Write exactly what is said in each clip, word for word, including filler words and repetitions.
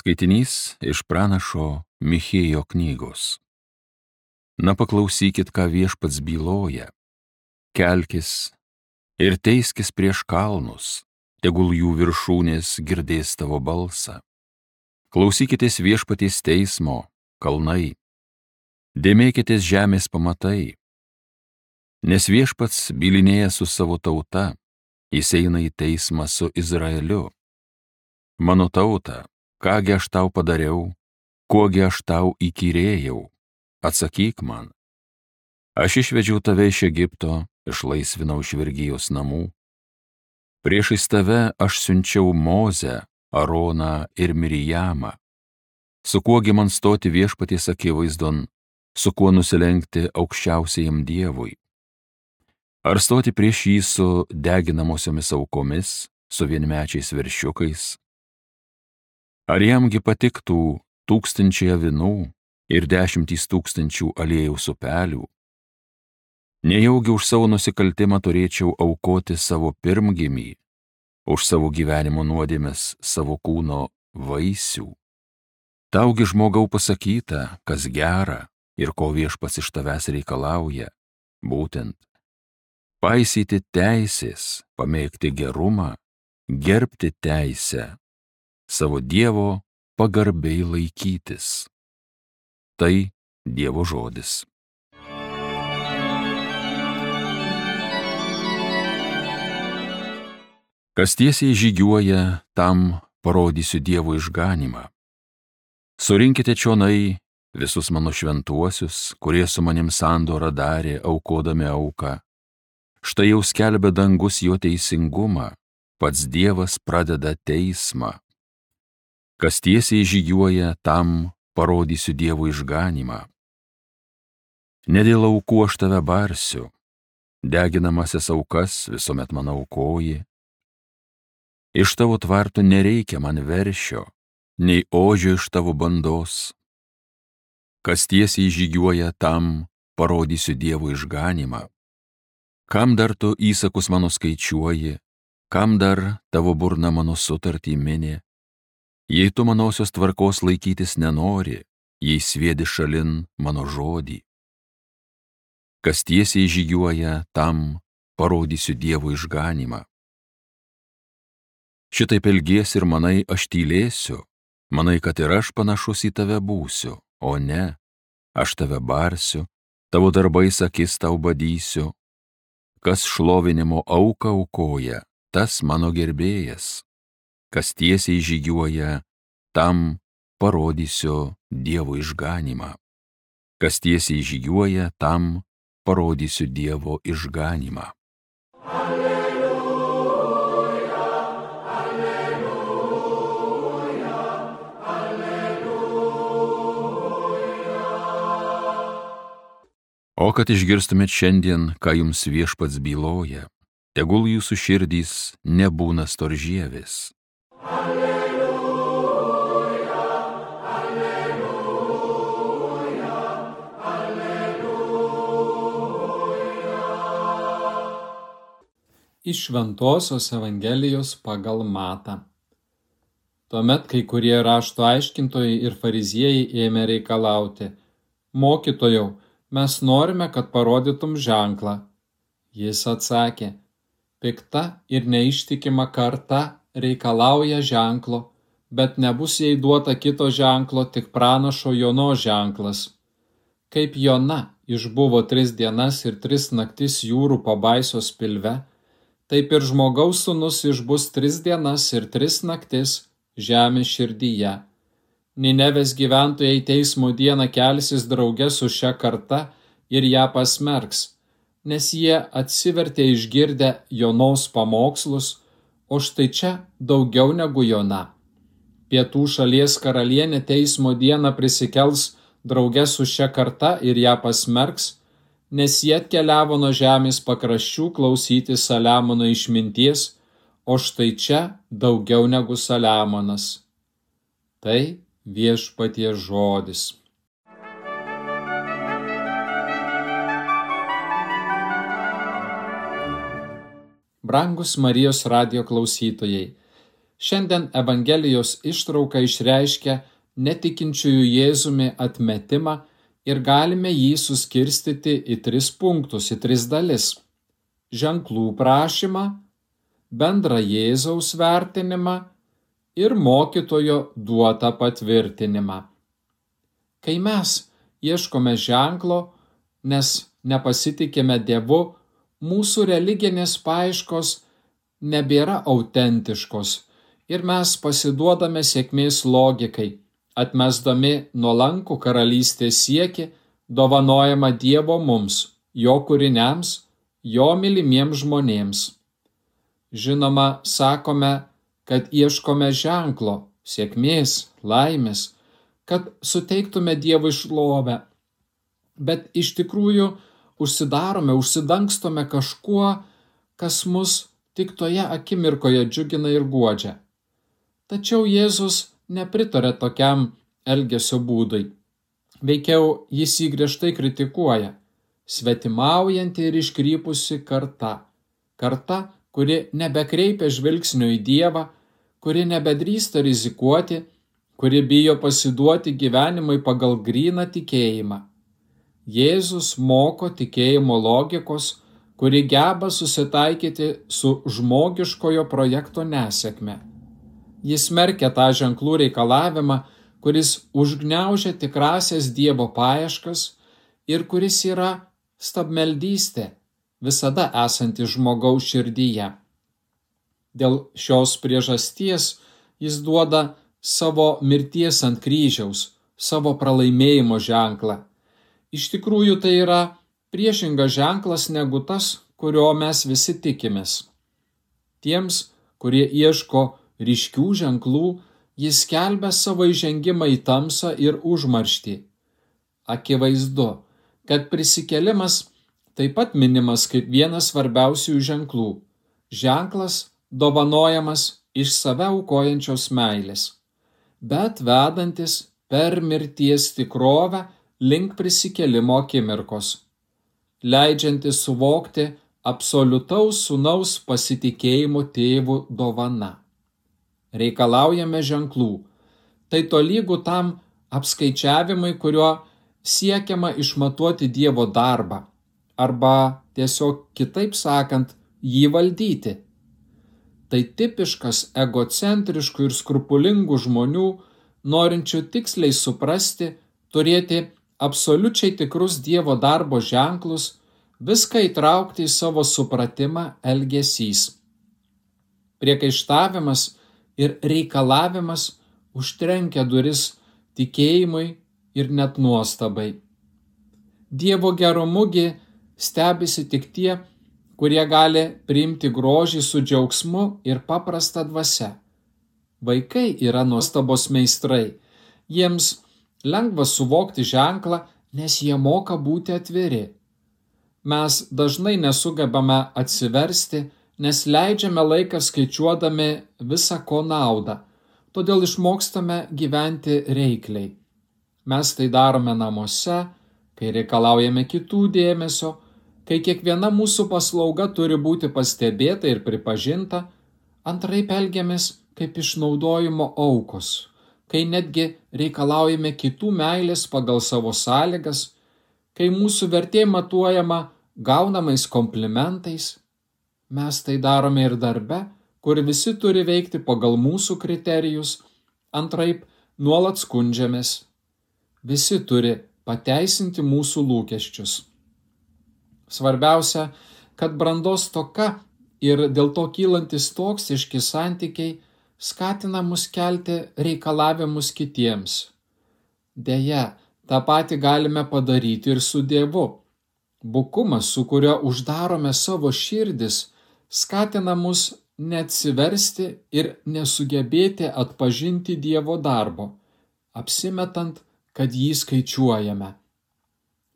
Skaitinys iš pranašo Michėjo knygos. Na paklausykit, ką viešpats byloja. Kelkis ir teiskis prieš kalnus, tegul jų viršūnės girdės tavo balsą. Klausykitės viešpaties teismo, kalnai. Dėmėkitės žemės pamatai. Nes viešpats bylinėja su savo tauta, jis eina į teismą su Izraeliu. Mano tauta, kągi aš tau padariau, kuogi aš tau įkyrėjau, atsakyk man. Aš išvedžiau tave iš Egipto, išlaisvinau iš vergijos namų. Priešais tave aš siunčiau Mozę, Aroną ir Mirijamą. Su kuogi man stoti viešpaties akivaizdon, su kuo nusilenkti aukščiausiajam Dievui? Ar stoti prieš jį su deginamosiomis aukomis, su vienmečiais veršiukais? Ar jamgi patiktų tūkstančiai avinų ir dešimtys tūkstančių aliejaus upelių? Nejaugi už savo nusikaltimą turėčiau aukoti savo pirmgimį, už savo gyvenimo nuodėmes savo kūno vaisių? Taugi žmogau pasakyta, kas gera ir ko viešpats iš tavęs reikalauja, būtent paisyti teisės, pamėgti gerumą, gerbti teisę, savo Dievo pagarbiai laikytis. Tai Dievo žodis. Kas tiesiai žygiuoja, tam parodysiu Dievo išganymą. Surinkite čionai visus mano šventuosius, kurie su manim sandorą darė, aukodami auką. Štai jau skelbia dangus jo teisingumą, pats Dievas pradeda teismą. Kas tiesiai žygiuoja, tam parodysiu Dievo išganymą. Ne dėl aukų aš tave barsiu, deginamasias aukas visuomet man aukoji. Iš tavo tvartų nereikia man veršio, nei ožio iš tavo bandos. Kas tiesiai žygiuoja, tam parodysiu Dievo išganymą. Kam dar tu įsakus mano skaičiuoji, kam dar tavo burna mano sutartį mini? Jei tu manosios tvarkos laikytis nenori, jei sviedi šalin mano žodį. Kas tiesiai žygiuoja, tam parodysiu Dievo išganymą. Šitaip elgies ir manai, aš tylėsiu, manai, kad ir aš panašus į tave būsiu, o ne, aš tave barsiu, tavo darbais akis tau badysiu. Kas šlovinimo auką aukoja, tas mano gerbėjas. Kas tiesiai žygiuoja, tam parodysiu Dievo išganymą. Kas tiesiai žygiuoja, tam parodysiu Dievo išganymą. Alleluja, alleluja, alleluja. O kad išgirstumėt šiandien, ką jums viešpats byloja, tegul jūsų širdys nebūna storžievės. Alleluja, alleluja, alleluja. Iš Šventosios Evangelijos pagal Matą. Tuomet kai kurie rašto aiškintojai ir fariziejai ėmė reikalauti: Mokytojau, mes norime, kad parodytum ženklą. Jis atsakė: Pikta ir neištikima karta reikalauja ženklo, bet nebus jai duota kito ženklo, tik pranašo Jonos ženklas. Kaip Jona išbuvo tris dienas ir tris naktis jūrų pabaisos pilve, taip ir žmogaus sūnus išbus tris dienas ir tris naktis žemės širdyje. Ninevės gyventojai teismo dieną kelsis drauge su šia karta ir ją pasmerks, nes jie atsivertė išgirdę Jonos pamokslus, o štai čia daugiau negu Jona. Pietų šalies karalienė teismo dieną prisikels drauge su šia karta ir ją pasmerks, nes jie atkeliavo nuo žemės pakraščių klausyti Saliamono išminties, o štai čia daugiau negu Saliamonas. Tai viešpaties žodis. Brangus Marijos radijo klausytojai, Šiandien Evangelijos ištrauka išreiškia netikinčiųjų Jėzumi atmetimą ir galime jį suskirstyti į tris punktus, į tris dalis. Ženklų prašymą, bendrą Jėzaus vertinimą ir mokytojo duotą patvirtinimą. Kai mes ieškome ženklo, nes nepasitikime Dievu, mūsų religinės paieškos nebėra autentiškos ir mes pasiduodame sėkmės logikai, atmesdami nuolankų karalystės siekį, dovanojamą Dievo mums, jo kūriniams, jo mylimiems žmonėms. Žinoma, sakome, kad ieškome ženklo, sėkmės, laimės, kad suteiktume Dievui šlovę, bet iš tikrųjų užsidarome, užsidangstome kažkuo, kas mus tik toje akimirkoje džiugina ir guodžia. Tačiau Jėzus nepritarė tokiam elgesio būdui. Veikiau jis jį griežtai kritikuoja. Svetimaujanti ir iškrypusi karta. Karta, kuri nebekreipia žvilgsnio į Dievą, kuri nebedrįsta rizikuoti, kuri bijo pasiduoti gyvenimui pagal gryną tikėjimą. Jėzus moko tikėjimo logikos, kuri geba susitaikyti su žmogiškojo projekto nesėkme. Jis smerkia tą ženklų reikalavimą, kuris užgniaužia tikrasias Dievo paieškas ir kuris yra stabmeldystė, visada esanti žmogaus širdyje. Dėl šios priežasties jis duoda savo mirties ant kryžiaus, savo pralaimėjimo ženklą. Iš tikrųjų tai yra priešingas ženklas negu tas, kurio mes visi tikimės. Tiems, kurie ieško ryškių ženklų, jis skelbia savo įžengimą į tamsą ir užmarštį. Akivaizdu, kad prisikėlimas taip pat minimas kaip vienas svarbiausių ženklų. Ženklas dovanojamas iš save aukojančios meilės, bet vedantis per mirties tikrovę link prisikėlimo akimirkos, leidžiantis suvokti absoliutaus sūnaus pasitikėjimo tėvų dovana. Reikalaujame ženklų. Tai tolygu tam apskaičiavimui, kuriuo siekiama išmatuoti Dievo darbą, arba tiesiog kitaip sakant, jį valdyti. Tai tipiškas egocentriškų ir skrupulingų žmonių, norinčių tiksliai suprasti, turėti absoliučiai tikrus Dievo darbo ženklus, viską įtraukti į savo supratimą elgesys. Priekaištavimas ir reikalavimas užtrenkia duris tikėjimui ir net nuostabai. Dievo gerumugi stebisi tik tie, kurie gali priimti grožį su džiaugsmu ir paprasta dvasia. Vaikai yra nuostabos meistrai. Jiems lengva suvokti ženklą, nes jie moka būti atviri. Mes dažnai nesugebame atsiversti, nes leidžiame laiką skaičiuodami visą ko naudą, todėl išmokstame gyventi reikliai. Mes tai darome namuose, kai reikalaujame kitų dėmesio, kai kiekviena mūsų paslauga turi būti pastebėta ir pripažinta, antraip elgiamės kaip išnaudojimo aukos, kai netgi reikalaujame kitų meilės pagal savo sąlygas, kai mūsų vertė matuojama gaunamais komplimentais. Mes tai darome ir darbe, kur visi turi veikti pagal mūsų kriterijus, antraip nuolat skundžiamės. Visi turi pateisinti mūsų lūkesčius. Svarbiausia, kad brandos stoka ir dėl to kylantis toksiški santykiai skatina mus kelti reikalavimus kitiems. Deja, tą patį galime padaryti ir su Dievu. Bukumas, su kuriuo uždarome savo širdis, skatina mus neatsiversti ir nesugebėti atpažinti Dievo darbo, apsimetant, kad jį skaičiuojame.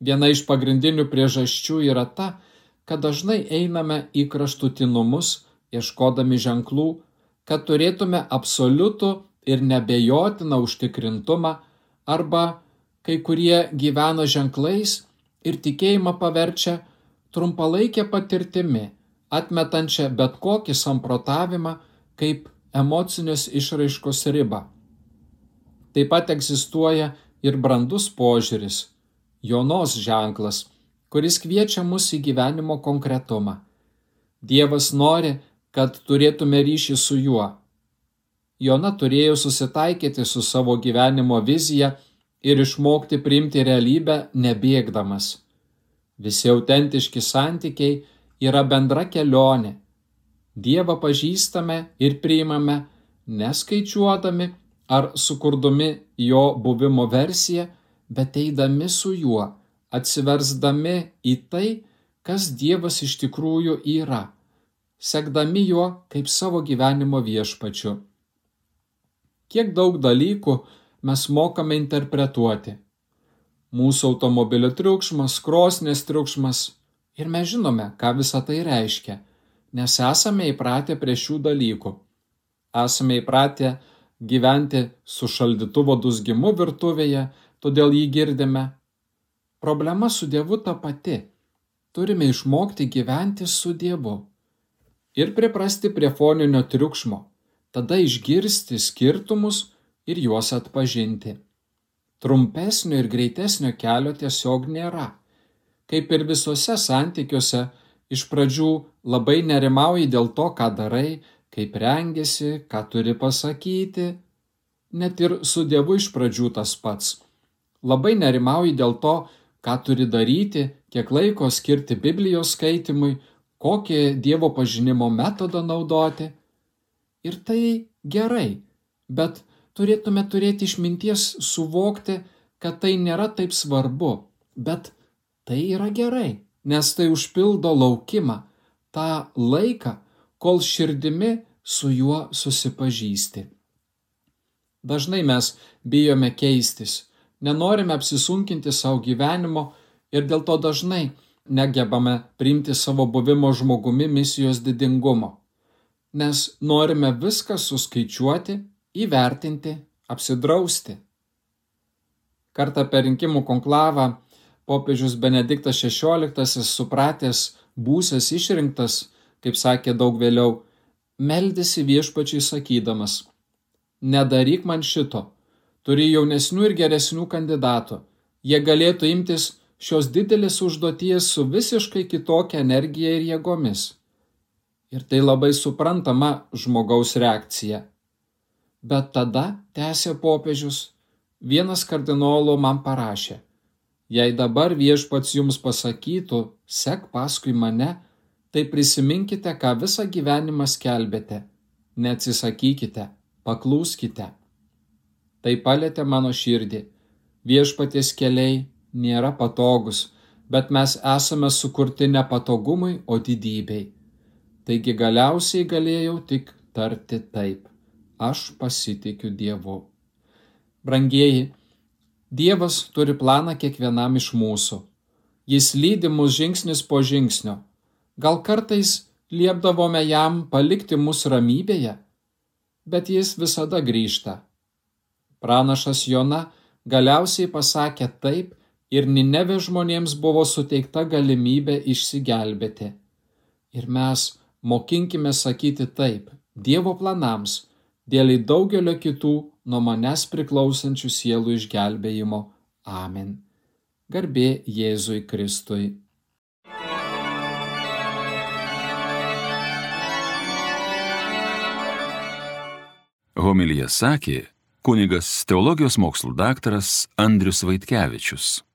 Viena iš pagrindinių priežasčių yra ta, kad dažnai einame į kraštutinumus, ieškodami ženklų, kad turėtume absoliutų ir nebejotiną užtikrintumą, arba kai kurie gyvena ženklais ir tikėjimą paverčia trumpalaikę patirtimi, atmetančią bet kokį samprotavimą kaip emocinės išraiškos ribą. Taip pat egzistuoja ir brandus požiūris, Jonos ženklas, kuris kviečia mus į gyvenimo konkretumą. Dievas nori, kad turėtume ryšį su juo. Jona turėjo susitaikyti su savo gyvenimo vizija ir išmokti priimti realybę nebėgdamas. Visi autentiški santykiai yra bendra kelionė. Dievą pažįstame ir priimame, neskaičiuodami ar sukurdami jo buvimo versiją, bet eidami su juo, atsiversdami į tai, kas Dievas iš tikrųjų yra, sekdami juo kaip savo gyvenimo viešpačiu. Kiek daug dalykų mes mokame interpretuoti. Mūsų automobilio triukšmas, krosnės triukšmas ir mes žinome, ką visa tai reiškia, nes esame įpratę prie šių dalykų. Esame įpratę gyventi su šaldytuvo dūzgimu virtuvėje, todėl jį girdime. Problema su Dievu ta pati. Turime išmokti gyventi su Dievu ir priprasti prie foninio triukšmo, tada išgirsti skirtumus ir juos atpažinti. Trumpesnio ir greitesnio kelio tiesiog nėra. Kaip ir visose santykiuose, iš pradžių labai nerimauji dėl to, ką darai, kaip rengiasi, ką turi pasakyti. Net ir su Dievu iš pradžių tas pats. Labai nerimauji dėl to, ką turi daryti, kiek laiko skirti Biblijos skaitimui, kokį Dievo pažinimo metodą naudoti. Ir tai gerai, bet turėtume turėti išminties suvokti, kad tai nėra taip svarbu, bet tai yra gerai, nes tai užpildo laukimą, tą laiką, kol širdimi su juo susipažįsti. Dažnai mes bijome keistis, nenorime apsisunkinti savo gyvenimo ir dėl to dažnai negebame priimti savo buvimo žmogumi misijos didingumo, nes norime viską suskaičiuoti, įvertinti, apsidrausti. Kartą per rinkimų konklavą popiežius Benediktas šešioliktasis, supratęs būsias išrinktas, kaip sakė daug vėliau, meldėsi viešpačiui sakydamas: nedaryk man šito, turi jaunesnių ir geresnių kandidatų, jie galėtų imtis šios didelės užduoties su visiškai kitokia energija ir jėgomis. Ir tai labai suprantama žmogaus reakcija. Bet tada, tęsė popiežius, vienas kardinolų man parašė: jei dabar viešpats jums pasakytų, sek paskui mane, tai prisiminkite, ką visą gyvenimą skelbėte, neatsisakykite, paklūskite. Tai palietė mano širdį. Viešpaties keliai nėra patogus, bet mes esame sukurti ne patogumui, o didybei. Taigi galiausiai galėjau tik tarti taip: aš pasitikiu Dievu. Brangieji, Dievas turi planą kiekvienam iš mūsų. Jis lydi mus žingsnis po žingsnio. Gal kartais liepdavome jam palikti mus ramybėje, bet jis visada grįžta. Pranašas Jona galiausiai pasakė taip ir Nineve žmonėms buvo suteikta galimybė išsigelbėti. Ir mes mokinkime sakyti taip Dievo planams, dėl daugelio kitų nuo manęs priklausančių sielų išgelbėjimo. Amen. Garbė Jėzui Kristui. Homiliją sakė kunigas teologijos mokslų daktaras Andrius Vaitkevičius.